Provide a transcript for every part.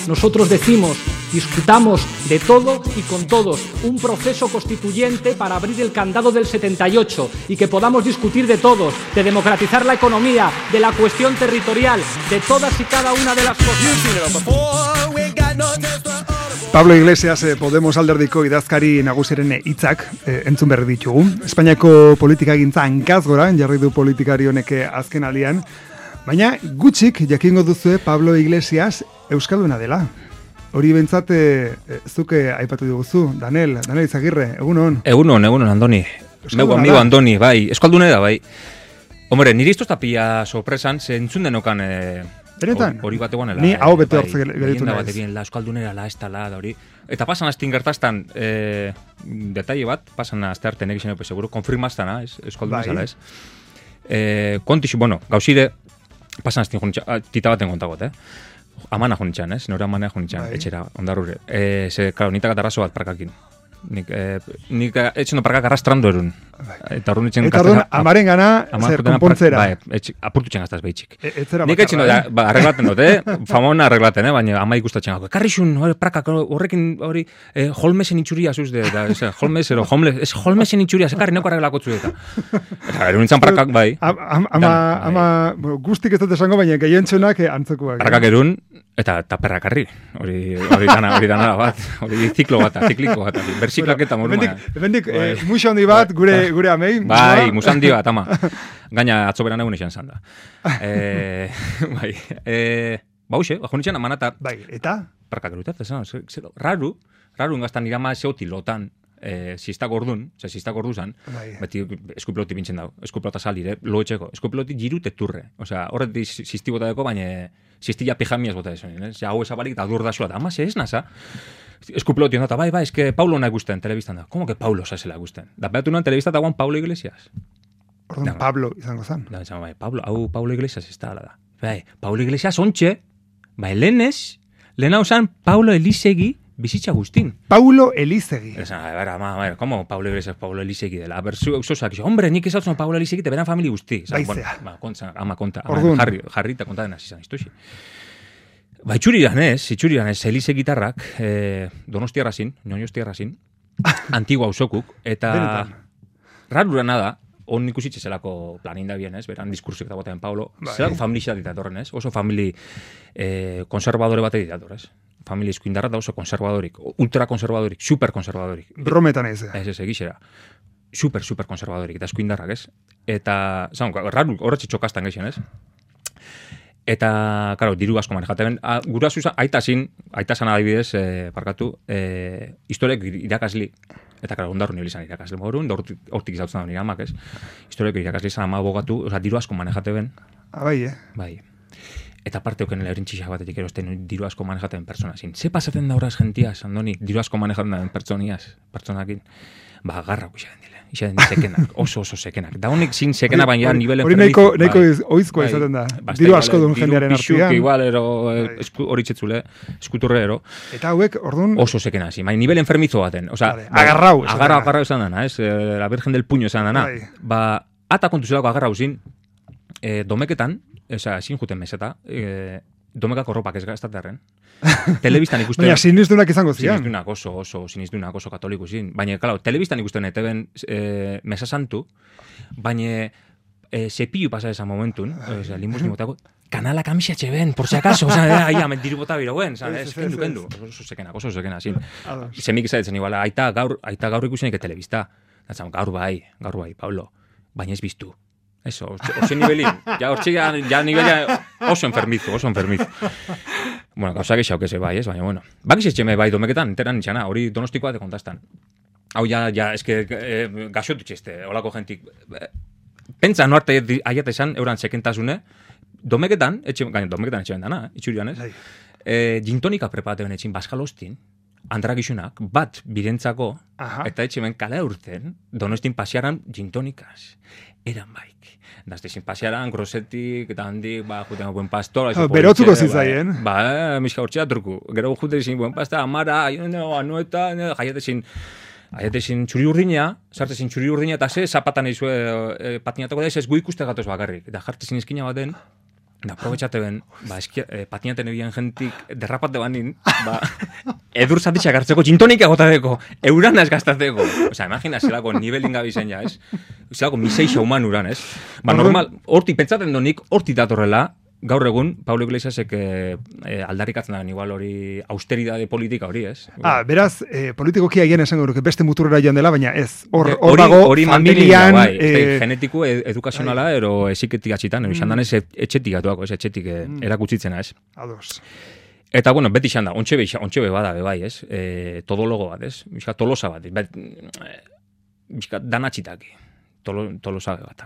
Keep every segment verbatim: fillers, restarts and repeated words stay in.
nosotros decimos, discutamos de todo y con todos, un proceso constituyente para abrir el candado del setenta y ocho y que podamos discutir de todos, de democratizar la economía, de la cuestión territorial, de todas y cada una de las cosas. Pablo Iglesias, eh, Podemos alderdiko idazkari nagusiren hitzak eh, entzun berri ditugu. Espainiako politikagintza hankaz gora jarri du politikari honek azken aldian, baina gutxik jakingo duzue Pablo Iglesias euskalduna dela. Hori bentsat eh, zuke aipatu diguzu, Danel, Danel Izagirre, egunon. Egunon, egunon, Andoni. Meu amigo Andoni, bai, euskaldune da, bai. Hombre, niri iztoz tapia sorpresan, ze entzun denokan... Eh, Benetan? Hori bat egonela. Ni hau bete bai, hortze geditu naiz. naiz. Batekin, la euskaldunera, la estala, da hori. Eta pasan astin gertaztan, eh, detalle bat, pasan azte arte negizien epe seguro, konfirmaztana, ez, euskaldunezala, ez. Eh, kontixu, bueno, gauzide, pasan astin junitxan, tita baten kontagot, eh. Amana junitxan, ez, nore amana junitxan, bai. Etxera, ondarrure. Eh, ze, klaro, nitak atarrazo bat parkakin. Nik, eh, nik etxeno parkak arrastrando erun. Eta horren etxen Eta horren amaren gana zer konpontzera. Bai, apurtu txen gaztaz behitxik. E, nik etxeno, eh? ba, arreglaten dut, eh? Famona arreglaten, eh? Baina ama ikustatzen gako. Karrixun, prakak, horrekin hori, eh, holmesen itxuria zuz de, da, ez, holmes, ero, homeless, ez holmesen itxuria, zekarri neko arreglako tzu eta. Eta erun nintzen prakak, bai. Ama, ama, guztik ez dut esango, baina gehientxonak antzekoak. Prakak erun, eta taperrakarri. Hori, hori dana, hori dana bat, hori ziklo bat, zikliko bat, bersiklak eta moruma. Ebendik, muixo handi bat, gure gure amei. Bai, musandi bat, ama. Gaina atzoberan egun izan zan da. Eh, bai, eh, bauxe, bajo nintzen amanata. Bai, eta? Prakak erutat, ez, raru, raru ingaztan irama zeoti lotan, eh, sistak ordun, ze sistak ordu zan, bai. Beti eskupiloti bintzen dago, eskupilota salire, loetxeko, eskupiloti jirute turre. Osea, horretik sisti bota deko, baina sistilla pijamiaz bota desoen, eh? Hau esabalik eta dur da zua, ama, ze ez nasa? Eskupiloti ondata, bai, bai, eske Paulo nahi gusten, telebistan da. Como que Paulo zazela gusten? Da behatu nuen telebista eta guan Paulo Iglesias. Orduan, da, Pablo izango zan. Da, bai, Pablo, hau Paulo Iglesias ez da, da. Bai, Paulo Iglesias ontxe, bai, lehenez, lehen hau zan Paulo Elisegi bizitza guztin. Paulo Elisegi. Esa, a ver, ama, a ver, como Paulo Iglesias Paulo Elisegi dela? A ver, zu, eusosak, hombre, nik ezautzen Paulo Elisegi te beran famili guzti. Baizea. Bueno, ba, kontza, ama konta, ama, jarri, jarri eta konta dena zizan, iztuxi. Ba, itxuriran ez, itxuriran ez, Elise gitarrak, eh, donostiarra zin, noñostiarra zin, antigua usokuk, eta rarura nada, on ikusitxe zelako planinda bien, ez, beran diskursik eta botean Paulo, zelako familia ditatorren, ez, oso famili eh, konservadore bate ditator, ez. Familia izkuindarra da oso konservadorik, ultrakonservadorik, superkonservadorik. Brometan ez. Ez, ez, egizera. Super, super konservadorik, eta eskuindarrak, ez? Eta, zan, rarru, horretxe txokastan geixen, ez? Eta, karo, diru asko manejaten. Gura zuzan, aita zin, aita zan adibidez, eh, parkatu, eh, historiak irakasli, eta, karo, ondarru nibili zan irakasli morun, hortik izautzen da nire amak, ez? Historiak irakasli zan ama abogatu, oza, diru asko manejaten. Ah, bai, eh? Bai. Eta parte oken leurintxixak batetik erosten diru asko manejaten pertsona zin. Ze pasaten da horaz gentiaz, Andoni, diru asko manejaten da pertsoniaz, pertsonakin. Ba, garra ikusaten dile. Ixaten di sekenak, oso oso sekenak. Da honik zin sekena baina nivel enfermizo. Hori nahiko oizkoa izaten da. Diru asko duen jendearen artian. Diru pixuk igual, ero, hori txetzule, eskuturre, ero. Eta hauek, orduan... Oso sekena, zin. Baina nivel enfermizo baten. O sea, agarrau. Agarrau, agarrau esan dana, ez? La Virgen del Puño esan dana. Ba, ata kontu zelako agarrau zin, domeketan, eza, zin juten meseta, e, domekako ropak ez gaztaterren. Telebistan ikusten... Baina sinizdunak izango zian. Sinizdunak oso, oso, sinizdunak oso katoliku zin. Baina, klar, telebistan ikusten eteben e, mesa santu, baina e, sepillu pasa esa momentun, oza, limbus nimotako, kanala kamisatxe ben, por si acaso, oza, aia, mentiru bota biro guen, ez, kendu, kendu. Oso sekenak, oso sekenak, zin. Semik izatetzen igual, aita gaur, aita gaur ikusenik telebista. Gaur bai, gaur bai, Pablo, baina ez biztu. Eso, oso nivelin. Ja, hortxe, ja, ja nivelia oso enfermizo, oso enfermizo. Bueno, gauza gexau que se bai, ez, baina, bueno. Bakiz etxeme bai domeketan, enteran nitxana, hori donostikoa de kontastan. Hau, ja, ja, eske, eh, gaxotu txeste, holako jentik. Pentsa, no arte aiat esan, euran sekentasune, domeketan, etxe, gaina, domeketan etxe bendana, itxurian, ez? Eh, gintonika preparaten etxin, baskalostin, andragizunak, bat birentzako, eta etxe ben kala urten, donostin pasiaran gintonikaz. Eran baik. Dazte sin pasearan, grosetik, eta handik, ba, juten buen pastor. Berotzuko zizaien. Ba, miska hortxea truku. Gero juten sin buen pasta, amara, anueta, jaiate sin, jaiate sin txuri urdina, zarte sin txuri urdina, eta ze, zapatan izue, patinatako da, ez gu ikuste gatoz bakarrik. Eta jarte sin eskina baten, Da, aprobetxate ben, ba, eskia, eh, patinaten ebien jentik derrapate banin, ba, edur zatitxak hartzeko, txintonik egotateko, euran ez gaztateko. Osa, imagina, zelako nivelin gabizen ja, ez? Zelako miseixa human uran, ez? Ba, normal, horti, pentsaten donik, horti datorrela, gaur egun, Pablo Iglesiasek eh, eh, aldarrikatzen da, igual hori austeridade politika hori, ez? Ah, beraz, eh, politikoki agian esango duke beste muturrera joan dela, baina ez, hor Eh, hor dago, hori familian... bai, eh, genetiko, ed- edukazionala, ero esiketik atxitan, ero izan danez etxetik atuako, ez, etxetik eh, erakutsitzena, ez? Ados. Eta, bueno, beti izan da, ontxe be, ontxe be bada, be bai, ez? E, todologo bat, ez? Bizka, tolosa bat, bet, bizka, danatxitaki. Tolo, tolosa bat.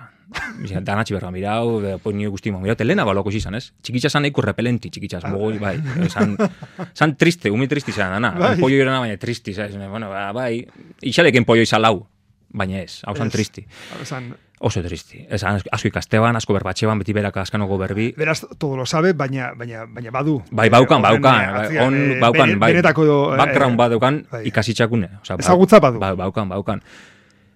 Bizka, danatxi berra mirau, pues nire guztimo. Mirau, telena baloko izan, ez? Txikitza zan eiko repelenti, txikitza, mogoi, bai. San, san triste, umi tristi zan dana. Bai. Pollo irena, baina tristi, ¿sabes? Bueno, ba, bai, ixaleken pollo izan lau, baina ez, hau zan Ez. tristi. Esan, Oso tristi. Ez, asko ikasteban, asko berbatxeban, beti beraka askanoko berbi. beraz, todo lo sabe, baina, baina, baina badu. Bai, baukan, Eh, horren, baukan, eh, bai, atzean, on, eh, baukan, bene- bai, benetako, eh, background badaukan bai. ikasitxakune. Osa, ba- Ezagutza badu. Ba, baukan, baukan.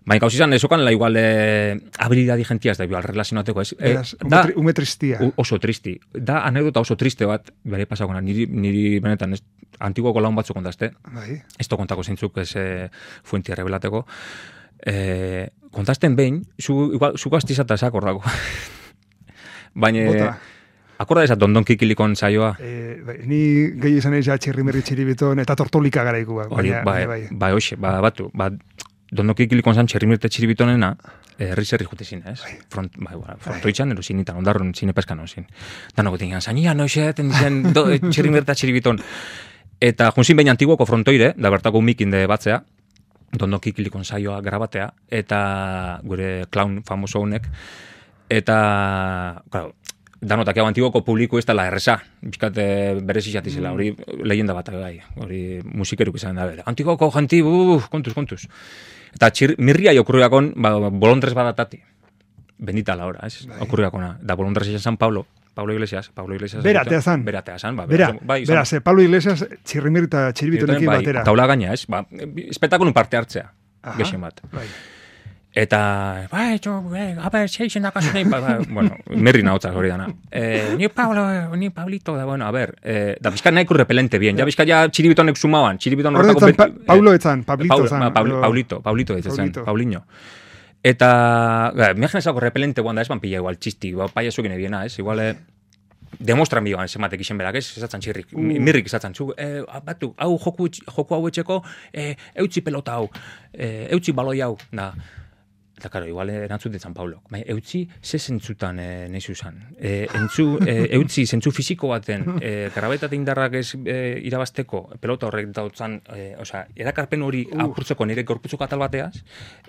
Baina gauz izan, esokan, la igual, eh, habilidadi gentiaz, da, igual, relazionateko, ez? Eh, Beraz, ume, da, tri, ume tristia. u- oso tristi. Da, anekdota oso triste bat, bere pasakona, niri, niri benetan, ez, antiguoko laun batzu kontazte, Bai. ez to kontako zeintzuk, ez, eh, fuentia revelateko, eh, kontazten behin, zu, igual, zu gaztizata esakor dago. Baina, Bota. akorda ezat Dondon Kikilikon saioa, Eh, bai, ni gehi izan ez ja txirrimerri txiribiton eta tortolika garaikua. hori, Baina, bai, baina bai, hoxe, ba, batu, ba, Dondon Kikilikon zan txerrimirte txiribitonena, herri zerri jute zin, ez? Front, bai, bai, frontoitzan, ero zinitan, ondarron zine peskan hon zin. Danoko tingan, zania, noixe, ten zen, do, txerrimirta txiribiton. Eta junzin behin antiguoko frontoire, da bertako mikin de batzea, Dondon Kikilikon saioa grabatea, eta gure clown famoso honek, eta, claro, danotak hau antiguoko publiko ez dela erresa, bizkat berez izatizela, hori leyenda bat, bai, hori musikeruk izan da, bere. Antiguoko janti, uh, kontuz, kontuz. Eta txir, mirria okurriakon, ba, bolondrez badatati, bendita la hora, ez, okurriakona, da bolondrez izan San Pablo, Pablo Iglesias, Pablo Iglesias. Beratea zan. Beratea zan, ba, Bera, bai, izan- beraz, eh, Pablo Iglesias txirrimerri eta txiribitonekin bai, batera. taula gaina, ez, ba, espetakulun parte hartzea, Aha, gexen bat. Bai. Eta, bai, jo, eh, a ber, seixen da kasu nahi, ba, ba, bueno, merri nahotzak hori dana. Eh, ni Pablo, ni Pablito, da, bueno, a ber, eh, da bizka nahiko repelente bien, ja bizka ja txiribitonek sumaban, txiribiton Horretan, horretako... pa, ben- Paulo eh, etzan, Pablito Paul- zan. ba, Paul- edo- Paulito, Paulito ditzen, Paulito. Paulinho. Eta, ga, miagen repelente guanda ez, ban pila igual txisti, ba, paiasukin ebiena, ez, igual, eh, demostran biban ez ematek izen berak, ez, esatzen txirrik, Uh. mirrik esatzen, zu, eh, batu, hau joku, joku hau etxeko, eh, eutzi pelota hau, eh, eutzi baloi hau, da, eta karo, igual erantzuten San Paulo, baina eutzi ze zentzutan e, nahi zuzan, e, entzu, e, eutzi zentzu fisiko baten, e, grabetate indarrak ez e, irabazteko, pelota horrek dautzan, e, osea, erakarpen hori Uh. apurtzeko nire gorputzoko atal bateaz,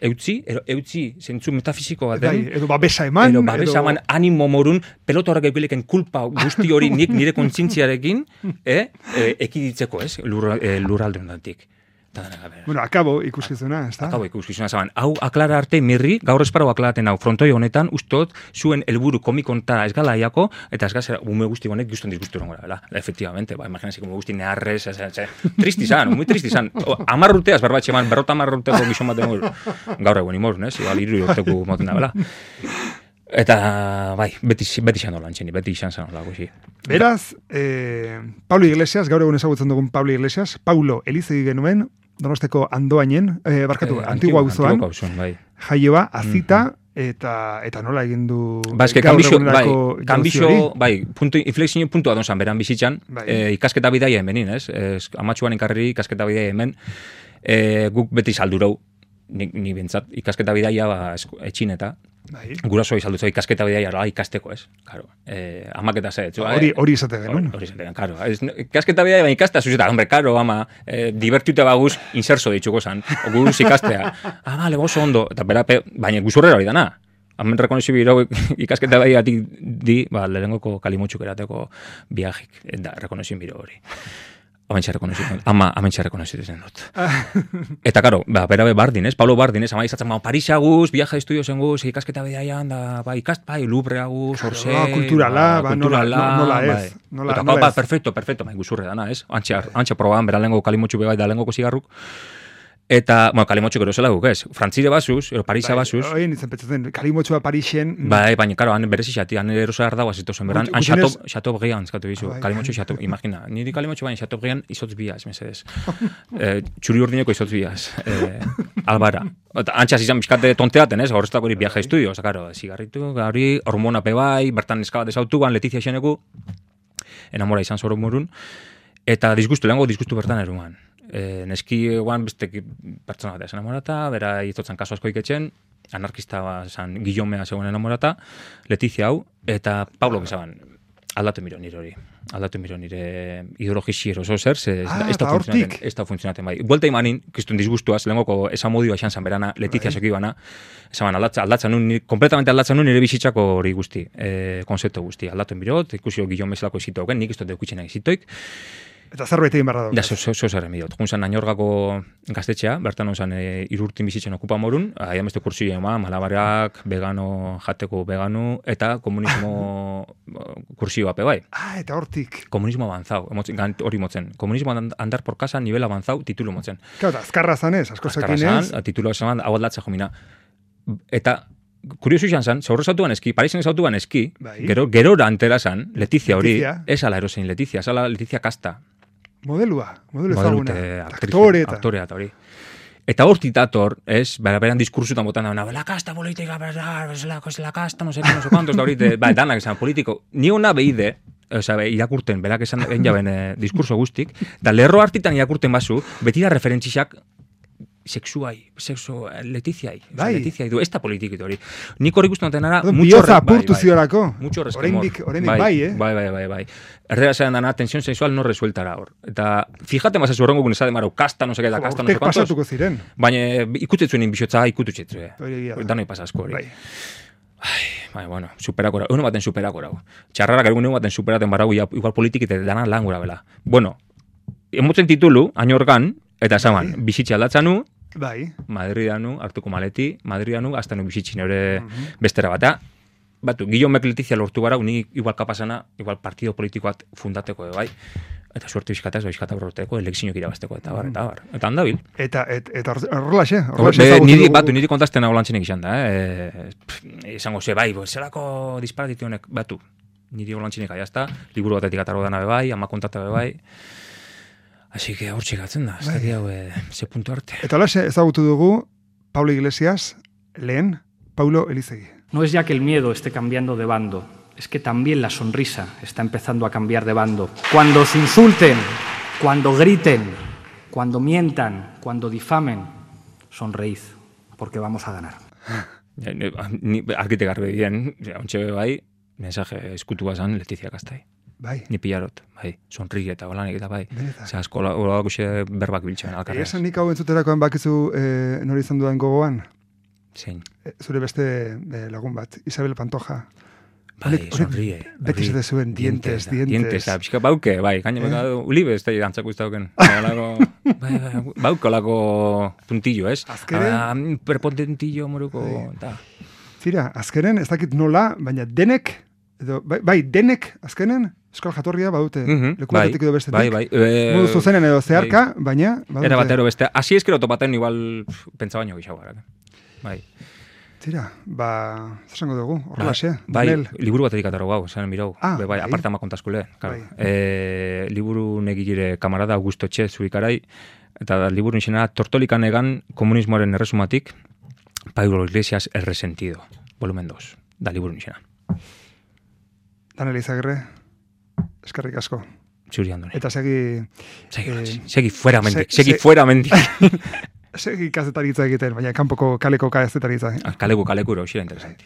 eutzi, ero, eutzi zentzu metafisiko baten, Bai, edo babesa eman. Edo babesa eman animo morun, pelota horrek eukileken kulpa guzti hori nik nire kontzintziarekin eh, e, ekiditzeko, ez, lur, e, lurralde hondatik. Bueno, akabo ikuskizuna, ez da? Akabo ikuskizuna zaban. Hau aklara arte mirri, gaur esparau aklaraten hau frontoi honetan, ustot, zuen helburu komikonta ez gala aiako, eta ez gazera, ume guzti honek guztien dizguztu rongo da, efectivamente, ba, imaginazik, ume guzti neharrez, ez, ez, ez, tristi zan, muy tristi zan. Amar urteaz berbatxe eman, berrota amar urteko gizon bat dengo, gaur egun imor, ez, igual iru urteko moten da, bela. Eta, bai, beti, beti izan dolan txeni, beti izan zan dola, guzi. Beraz, eh, Pablo Iglesias, gaur egun ezagutzen dugun Pablo Iglesias, Paulo Elizegi genuen, Donosteko Andoainen, eh, barkatu, Eh, Antigua auzoan, Antigua auzoan, bai. jaioa, azita, eta eta nola egin du Ba, eske, gaur kanbixo, bai, egunerako jauzi kanbixo, hori? bai, puntu, inflexio puntua donzan beran bizitzan, Bai. eh, ikasketa bidaia hemenin, ez? Ez, amatxuan enkarri ikasketa bidaia hemen, eh, guk beti saldurau, ni, ni bintzat, ikasketa bidaia, ba, esku- etxineta, Bai. guraso izaldutza ikasketa bidaia, ala, ikasteko, ez? Claro, eh, amaketa ze, etxu, Hori hori izate genuen. Hori zaten, karo. Ez, ikasketa bidaia, baina ikastea zuzeta, hombre, karo, ama, eh, divertiute baguz, inserso ditxuko zan, guz ikastea. Ah, vale, oso ondo, eta berape, baina guzurrera hori dana. Hemen rekonozi biro ikasketa bai di, ba, lehenengoko kalimutxuk erateko viajik, da, rekonozi biro hori. Amentxe rekonozitzen, ama, amentxe rekonozitzen dut. Eta, karo, ba, berabe Bardin, ez? Pablo Bardin, ez? Ama izatzen, ba, Parisa guz, viaja estudio zen guz, ikasketa bidaian, da, ba, ikast, bai, Lubrea guz, Orsay, Ah, kulturala, ba, nola- kulturala, nola ez, bai. nola- Eta, nola ba, ez. perfecto, perfecto, bai, guzurre dana, ez? Antxe, antxe proban, bera lehenko kalimutxu bai, da lehenko zigarruk. Eta, bueno, kalimotxo gero zela guk, ez? Frantzire basuz, ero Parisa bai, basuz. Oin, izan petzatzen, kalimotxoa Parixen... Bai, baina, karo, han berezi xati, han erosa erdagoa zitozen, beran, han Gutxienez- xato begian, zkatu bizu, Bai. kalimotxo xato, imagina, niri kalimotxo baina xato begian izotz biaz, mesedez. eh, txuri urdineko izotz biaz, eh, albara. Eta antxas izan bizkate tonteaten, ez? Horreztako hori viaje estudio, oza, karo, zigarritu, hori, hormona pe bai, bertan eskabat ezautuan, Letizia xeneku, enamora izan zoro murun, eta disgustu, lehenko disgustu bertan eruan. E, neski eguan beste pertsona bat esan enamorata, bera itotzen kaso asko iketxen, anarkista zan Guillomea zegoen enamorata, Letizia hau, eta Pablo gizaban, aldatu miro nire hori. Aldatu miro nire ideologiziero oso zer, ze ez Ah, da- ez da eta funtzionaten, hortik. ez da funtzionaten bai. Buelta imanin, kistun disgustuaz, lehengoko esan modioa esan zan berana, Letizia seki bana, esan aldatza, aldatzen nun, ni- kompletamente aldatzen nun nire bizitzako hori guzti, e, konzeptu guzti. Aldatu mirot, ikusio Guillaume zelako izitoken, nik ez dut deukitxena izitoik, Eta zerbait egin barra Da, dago. zo, zo, zo zerren bidot. Junzan Nañorgako gaztetxea, bertan onzan e, irurtin bizitzen okupa morun, aia beste kursi ema, malabarak, vegano, jateko vegano, eta komunismo kursioa pe bai. Ah, eta hortik. Komunismo avanzau, emotzen, gant- hori motzen. Komunismo and- andar por casa, nivel avanzau, titulu motzen. Claro, eta azkarra zanez, asko Azkarra zekinez. zan, titulu esan, hau aldatza jomina. Eta, kuriosu izan zan, zaurro zautuan eski, Parisen zautuan eski, Bai. gero, gerora antera zan, Letizia hori, Letizia. ez ala erosein Letizia, ez ala Letizia kasta. Modelua, modelo ezaguna. Modelute, aktriz, Aktore eta. aktorea eta hori. Eta hortik dator, ez, bera beran diskursutan botan da, la kasta politika, la, la kasta, no sé, no sé cuántos, da hori, ba, danak esan politiko. Ni ona behide, oza, irakurten, berak esan egin jaben eh, diskurso guztik, da lerro hartitan irakurten bazu, beti da referentzizak sexuai, sexu, Letiziai, oza, Bai. Letiziai du, ez da politikit hori. Nik hori guztu noten ara, Orduan, mucho bihotza re- bai, apurtu bai. ziorako. Mucho resquemor. Oraindik, oraindik bai, eh? Bai, bai, bai, bai. Erdera zean dana, tensión sexual no resueltara hor. Eta, fijate mazazu horrengo gunezade marau, kasta, no seke da, kasta, no sé Urtek cuántos. pasatuko ziren. Baina ikutetzuen bihotza ikututxetzue. Hori egia da. Danoi pasasko hori. Bai. Bai, bueno, superako rau. Egun baten superako rau. Txarrarak egun baten superaten barau, ia- igual politikite dana lan gura bela. Bueno, emotzen titulu, añorgan, eta esaban, Bai. bizitxe aldatzanu, Bai. Madridanu, hartuko maleti, Madridanu, hasta nu bizitxin ere Mhm. bestera bata. Batu, Guillaume Letizia lortu barau, ni igual kapasana, igual partido politikoat fundateko ere bai. Eta suerte bizkataz, bizkata borroteko, elekzioak irabazteko, eta bar, eta bar. Eta handabil. Eta, et, eta hor- horrelaxe, Be, horrelaxe ezagutu niri, dugu. batu, niri kontasten hau lantzenek izan da, eh? Pff, Izango ze, bai, bo, zelako disparatitu honek, batu. Niri hau lantzenek aiazta, liburu batetik atarro dana be bai, ama kontata be bai. Así que hor txikatzen da, ez Bai. dakit hau, eh, ze puntu arte. Eta horrelaxe ezagutu dugu Pablo Iglesias, lehen Paulo Elizegi. No es ya que el miedo esté cambiando de bando, es que también la sonrisa está empezando a cambiar de bando. Cuando os insulten, cuando griten, cuando mientan, cuando difamen, sonreíd, porque vamos a ganar. Ja, ni- Ni arkite garbe dien, ontxe be bai, mensaje eskutua zan Letizia Kastai. Bai. Ni pilarot, bai, sonri eta holanik eta bai. Benetan. Ze asko holako xe berbak biltzen Egia alkarreaz. esan nik hau entzuterakoan bakizu eh, nori izan dudan gogoan, Zein. Eh, zure beste eh, lagun bat, Isabel Pantoja. Bai, Honek- honek sonríe. beti hori, esaten zuen, dientes, da, dientes. Dientes, da, pixka bauke, bai, gaine beka, ulibe ez da dantzako ez dauken. Olako, bai, bai, bauke olako puntillo, ez? Azkenen- Ah, prepotentillo moruko, Bai. eta. Zira, azkenen, ez dakit nola, baina denek, edo, bai, bai denek, azkenen, euskal jatorria badute, Mhm, leku bai, batetik edo bestetik. bai, bai, eh, Modu zuzenen edo zeharka, baina, badute. Era batero beste. Asi eskero topaten igual pf, pentsa baino gixau gara. Bai. Zira, ba, zer esango dugu, horrelaxe, Bai, Donel. liburu batetik ataro gau, esan mirau. Ah, Be, bai, bai. aparte ama kontaskule. Claro. Bai. E, liburu negire kamarada Augusto Txe zurikarai, eta liburu nixena Tortolikan egan komunismoaren erresumatik, Pablo Iglesias el resentido, volumen dos, da liburu nixena. Danel Izagirre, eskerrik asko. Zuri andone. Eta segi, Segi, eh, segi fuera mendik, se- segi se- fuera mendik. segi kazetaritza egiten, baina kanpoko kaleko kazetaritza. Kaleku kalekuro, xera interesanti.